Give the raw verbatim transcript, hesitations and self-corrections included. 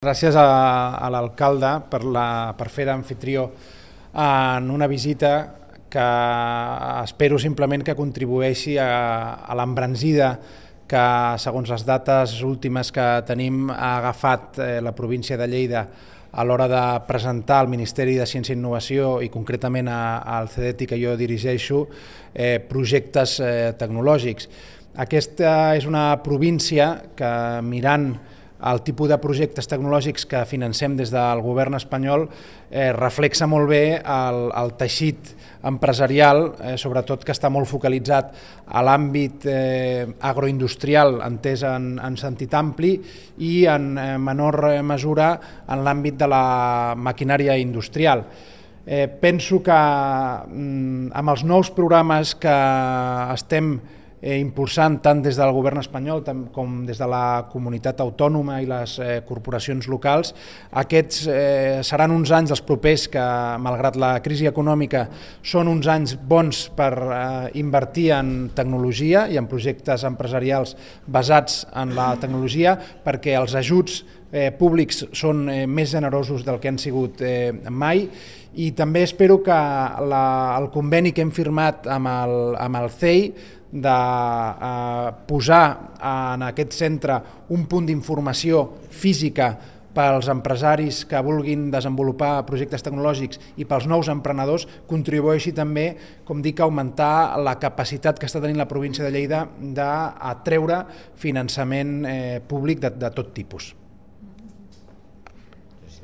Gràcies a, a l'alcalde per, la, per fer d'amfitrió en una visita que espero simplement que contribueixi a, a l'embranzida que, segons les dates últimes que tenim, ha agafat eh, la província de Lleida a l'hora de presentar al Ministeri de Ciència i Innovació i concretament a, al CEDETI que jo dirigeixo eh, projectes eh, tecnològics. Aquesta és una província que, mirant el tipus de projectes tecnològics que financem des del govern espanyol, eh, reflexa molt bé el, el teixit empresarial, eh, sobretot que està molt focalitzat a l'àmbit eh, agroindustrial, entès en, en sentit ampli, i en eh, menor mesura en l'àmbit de la maquinària industrial. Eh, penso que mm, amb els nous programes que estem Eh, impulsant tant des del govern espanyol com des de la comunitat autònoma i les eh, corporacions locals. Aquests eh, seran uns anys, els propers, que malgrat la crisi econòmica són uns anys bons per eh, invertir en tecnologia i en projectes empresarials basats en la tecnologia, perquè els ajuts eh, públics són eh, més generosos del que han sigut eh, mai, i també espero que la, el conveni que hem firmat amb el, amb el C E I de eh, posar en aquest centre un punt d'informació física pels empresaris que vulguin desenvolupar projectes tecnològics i pels nous emprenedors contribueixi també, com dic, a augmentar la capacitat que està tenint la província de Lleida d'atreure finançament eh, públic de, de tot tipus.